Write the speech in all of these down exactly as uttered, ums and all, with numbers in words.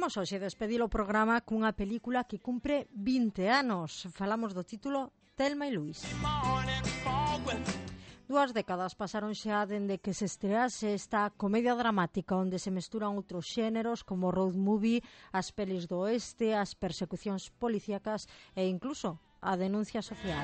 Imos hoxe despedir o programa cunha película que cumpre vinte anos. Falamos do título Thelma e Louise. Dúas décadas pasaron xa dende que se estrease esta comedia dramática onde se mesturan outros xéneros como road movie, as pelis do oeste, as persecucións policíacas e incluso a denuncia social.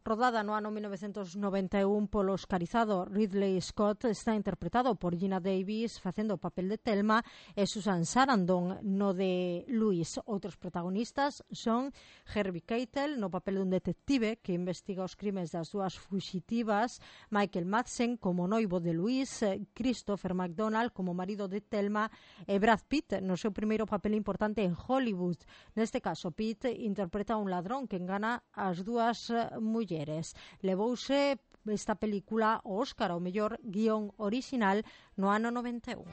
Rodada no ano mil novecentos noventa e un polo oscarizado Ridley Scott, está interpretado por Geena Davis facendo o papel de Thelma e Susan Sarandon no de Louise. Outros protagonistas son Harvey Keitel no papel dun detective que investiga os crimes das dúas fuxitivas, Michael Madsen como noivo de Louise, Christopher McDonald como marido de Thelma e Brad Pitt no seu primeiro papel importante en Hollywood. Neste caso, Pitt interpreta un ladrón que engana as dúas mulleres. Levouse esta película ao Óscar ao mellor guión original no ano noventa e un.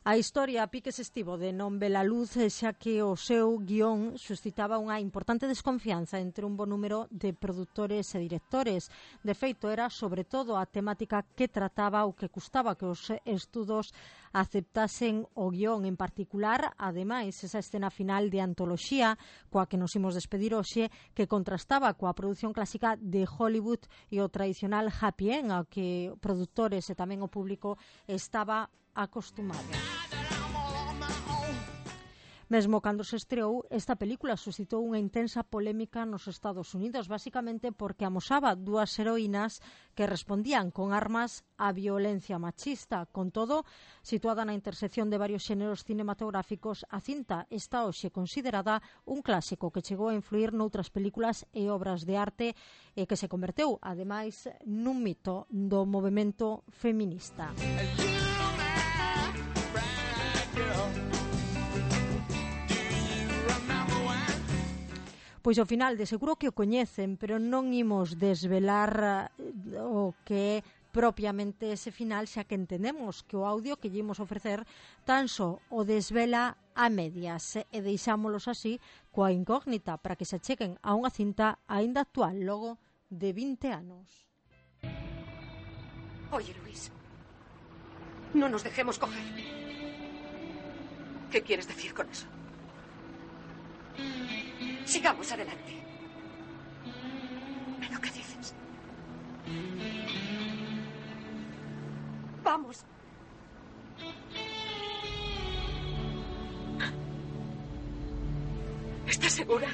A historia a piques estivo de non ver a luz xa que o seu guión suscitaba unha importante desconfianza entre un bo número de produtores e directores. De feito, era sobre todo a temática que trataba o que custaba que os estudos aceptasen o guión en particular, ademais esa escena final de antoloxía coa que nos imos despedir hoxe, que contrastaba coa produción clásica de Hollywood e o tradicional happy end ao que produtores e tamén o público estaba acostumado. Mesmo cando se estreou, esta película suscitou unha intensa polémica nos Estados Unidos, basicamente porque amosaba dúas heroínas que respondían con armas á violencia machista. Con todo, situada na intersección de varios xéneros cinematográficos, a cinta está hoxe considerada un clásico que chegou a influir noutras películas e obras de arte e que se converteu, ademais, nun mito do movemento feminista. Pois ao final, de seguro que o coñecen, pero non imos desvelar o que é propiamente ese final, xa que entendemos que o audio que lle imos ofrecer tan só o desvela a medias e deixámolos así coa incógnita para que se acheguen a unha cinta aínda actual logo de vinte anos. Oye, Luis, no nos dejemos coger. ¿Qué quieres decir con eso? Sigamos adelante. ¿Pero qué dices? Vamos. ¿Estás segura?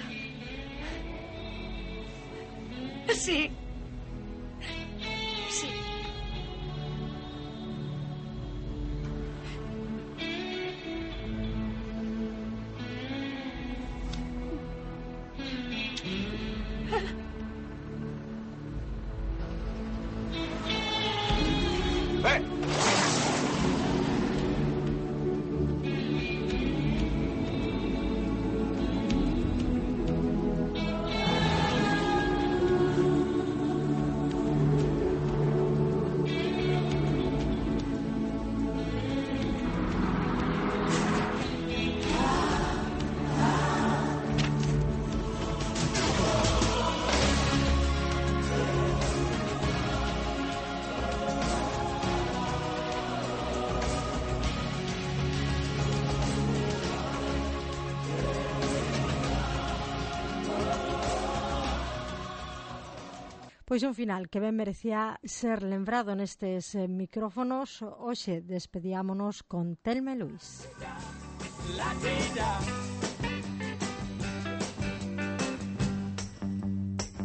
Sí. Sí. Pois un final que ben merecía ser lembrado nestes eh, micrófonos. Hoxe despediámonos con Thelma e Louise.